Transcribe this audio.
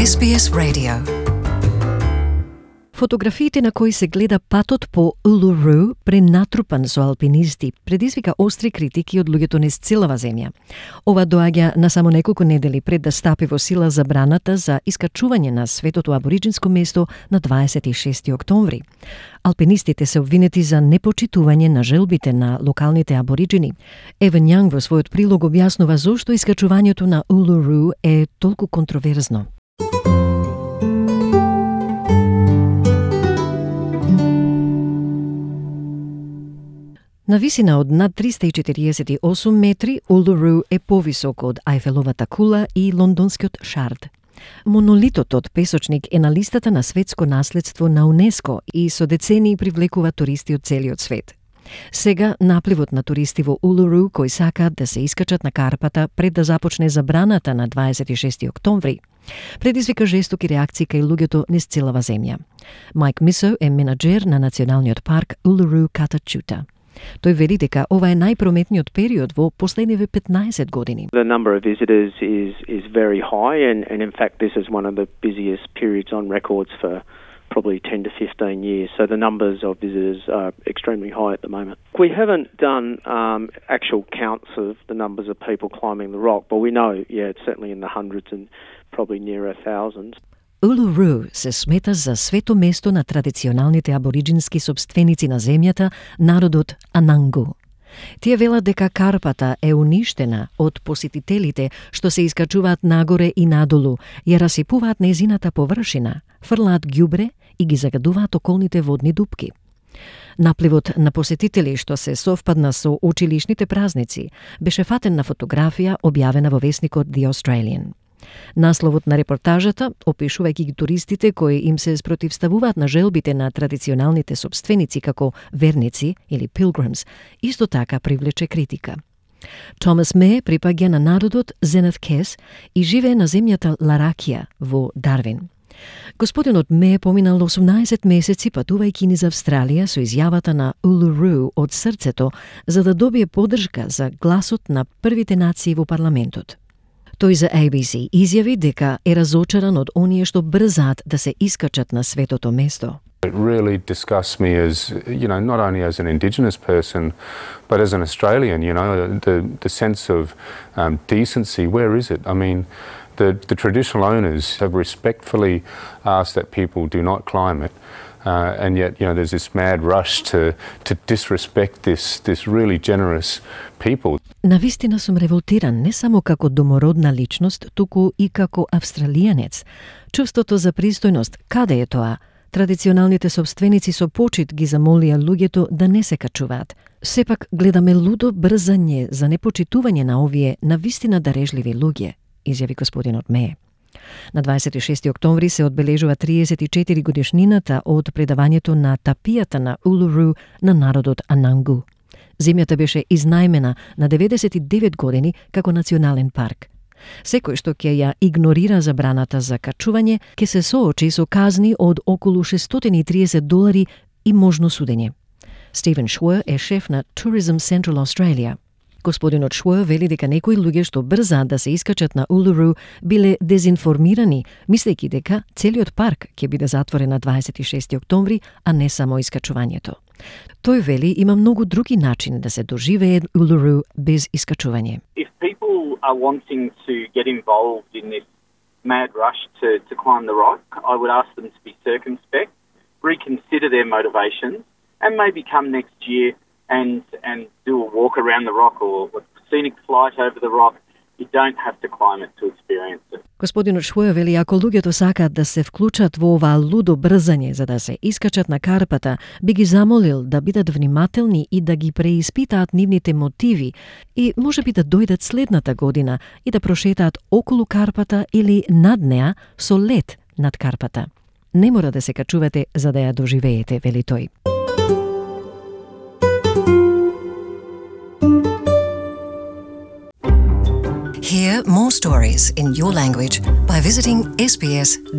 SBS Radio. Фотографиите на кои се гледа патот по Uluru пренатрупан со алпинисти предизвика остри критики од луѓето низ целава земја. Ова доаѓа на само неколку недели пред да стапи во сила забраната за искачување на светото абориџинско место на 26 октомври. Алпинистите се обвинети за непочитување на желбите на локалните абориџини. Еван Јанг во својот прилог објаснува зошто искачувањето на Uluru е толку контроверзно. На висина од над 348 метри, Uluru е повисок од Ајфеловата кула и лондонскиот Шард. Монолитот од песочник е на листата на светско наследство на УНЕСКО и со децении привлекува туристи од целиот свет. Сега напливот на туристи во Uluru кои сакаат да се искачат на Карпата пред да започне забраната на 26 октомври, предизвика жестоки реакции кај луѓето низ целава земја. Майк Мисо е менаџер на националниот парк Uluru Kata-Tjuta. Тој вели дека ова е најпрометниот период во последниве 15 години. The number of visitors is very high and in fact this is one of the busiest periods on records for probably 10 to 15 years. So the numbers of visitors are extremely high at the moment. We haven't done actual counts of the numbers of people climbing the rock, but we know, it's certainly in the hundreds and probably nearer thousands. Uluru се смета за свето место на традиционалните абориџински собственици на земјата, народот Анангу. Тие велат дека Карпата е уништена од посетителите што се искачуваат нагоре и надолу, ја расипуваат нејзината површина, фрлаат ѓубре и ги загадуваат околните водни дупки. Напливот на посетители што се совпадна со училишните празници беше фатен на фотографија објавена во весникот The Australian. Насловот на репортажата, опишувајќи ги туристите кои им се спротивставуваат на желбите на традиционалните собственици како верници или pilgrims, исто така привлече критика. Томас Ме припаѓа на народот Зенет Кес и живее на земјата Ларакија во Дарвин. Господинот Ме поминал 18 месеци патувајќи низ Австралија со изјавата на Uluru од срцето за да добие поддршка за гласот на првите нации во парламентот. Тој за ABC изјави дека е разочаран од оние што брзаат да се искачат на светото место. It really disgusts me as, not only as an Indigenous person, but as an Australian, the sense of decency, where is it? I mean, the traditional owners have respectfully asked that people do not climb it. And yet, there's this mad rush to disrespect this really generous people. Навистина сум револтиран не само како домородна личност, туку и како австралијанец. Чувството за пристојност, каде е тоа? Традиционалните собственици со почит ги замолија луѓето да не се качуваат. Сепак гледаме лудо брзање за непочитување на овие навистина дарежливи луѓе, изјави господинот Ме. На 26 октомври се одбележува 34 годишнината од предавањето на тапијата на Uluru на народот Анангу. Земјата беше изнајмена на 99 години како национален парк. Секој што ќе ја игнорира забраната за качување ќе се соочи со казни од околу $630 и можно судење. Стивен Шуер е шеф на Tourism Central Australia. Господинот Шуер вели дека некои луѓе што брзаат да се искачат на Uluru биле дезинформирани, мислејќи дека целиот парк ќе биде затворен на 26 октомври, а не само искачувањето. Тој вели има многу други начини да се доживее Uluru без искачување. If people are wanting to get involved in this mad rush to climb the rock, I would ask them to be circumspect, reconsider their motivations, and maybe come next year and do a walk around the rock or a scenic flight over the rock. You don't have to climb it to experience it. Господинот Шуер вели ако луѓето сакаат да се вклучат во оваа лудо брзање за да се искачат на Карпата, би ги замолил да бидат внимателни и да ги преиспитаат нивните мотиви и можеби да дојдат следната година и да прошетаат околу Карпата или над неа со лет над Карпата. Не мора да се качувате за да ја доживеете, вели тој. Hear more stories in your language by visiting sbs.com.au.